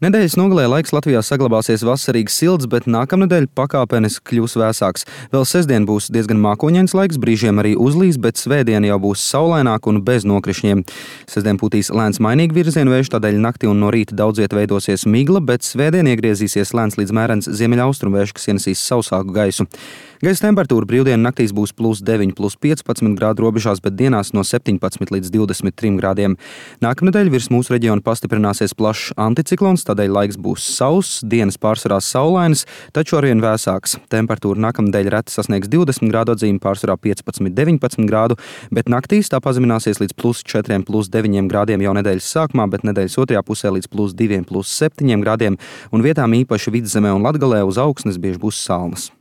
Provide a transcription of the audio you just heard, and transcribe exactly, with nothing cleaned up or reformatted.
Nedēļas nogalē laiks Latvijā saglabāsies vasarīgs silts, bet nākamnedēļ pakāpeniski kļūs vēsāks. Vēl sestdien būs diezgan mākoņains laiks, brīžiem arī uzlīs, bet svētdien jau būs saulaināk un bez nokrišņiem. Sestdien pūtīs lēns mainīgi virzienu vējš, tādēļ naktī un no rīta daudz viet veidosies migla, bet svētdien iegriezīsies lēns līdz mērens ziemeļaustrumu vējš, kas ienesīs sausāku gaisu. Gaisa temperatūra brīvdienu naktīs būs plus deviņi, plus piecpadsmit grādu robežās, bet dienās no septiņpadsmit līdz divdesmit trim grādiem. Nākamnedēļ virs mūsu reģiona pastiprināsies plašs anticiklons, tādēļ laiks būs sauss, dienas pārsvarā saulainas, taču arvien vēsāks. Temperatūra nākamnedēļ reti sasniegs divdesmit grādu atzīmi, pārsvarā piecpadsmit, deviņpadsmit grādu, bet naktīs tā pazemināsies līdz plus četriem, plus deviņiem grādiem jau nedēļas sākumā, bet nedēļas otrajā pusē līdz plus diviem, plus septiņiem grādiem, un vietām īpaši Vidzemē un Latgalē uz augsnes bieži būs salnas.